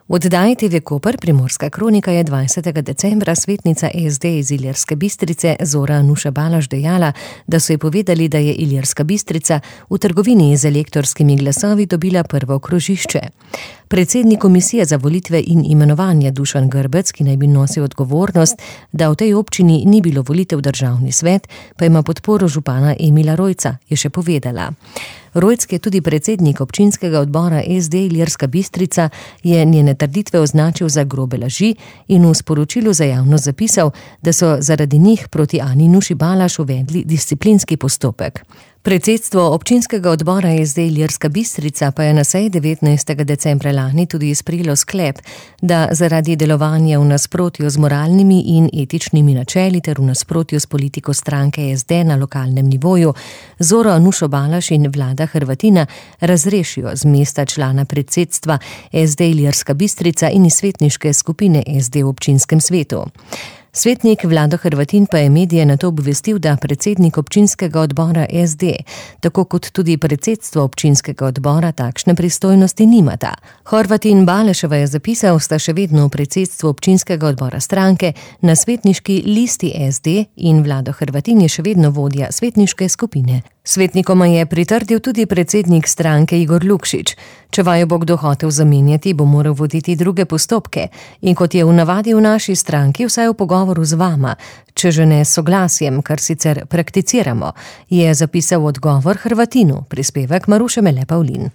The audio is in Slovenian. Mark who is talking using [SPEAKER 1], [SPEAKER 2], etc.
[SPEAKER 1] V oddaji TV Koper Primorska kronika je 20. decembra svetnica SD iz Ilirske Bistrice Zora Nuša Balaš dejala, da so ji povedali, da je Ilirska Bistrica v trgovini z elektorskimi glasovi dobila prvo krožišče. Predsednik komisije za volitve in imenovanje Dušan Grbec, ki naj bi nosil odgovornost, da v tej občini ni bilo volitev v državni svet, pa ima podporo župana Emila Rojca, je še povedala. Rojc, je tudi predsednik občinskega odbora SD Ilirska Bistrica, je njene trditve označil za grobe laži in v sporočilu za javnost zapisal, da so zaradi njih proti Ani Nuši Balaš uvedli disciplinski postopek. Predsedstvo občinskega odbora SD Ilirska Bistrica pa je na seji 19. decembra lani tudi sprejelo sklep, da zaradi delovanja v nasprotju z moralnimi in etičnimi načeli ter v nasprotju s politiko stranke SD na lokalnem nivoju Zoro Nušo Balaš in Vlada Hrvatina razrešijo z mesta člana predsedstva SD Ilirska Bistrica in iz svetniške skupine SD v občinskem svetu. Svetnik Vlado Hrvatin pa je medije nato obvestil, da predsednik občinskega odbora SD, tako kot tudi predsedstvo občinskega odbora, takšne pristojnosti nimata. Hrvatin Baleševa je zapisal, sta še vedno v predsedstvu občinskega odbora stranke na svetniški listi SD in Vlado Hrvatin je še vedno vodja svetniške skupine. Svetnikoma je pritrdil tudi predsednik stranke Igor Lukšič. Če vaju bo kdo hotel zamenjati, bo moral voditi druge postopke in kot je v navadi v naši stranki, vsaj v pogovoru z vama, če že ne s soglasjem, kar sicer prakticiramo, je zapisal odgovor Hrvatinu, prispevek Maruše Mele Pavlin.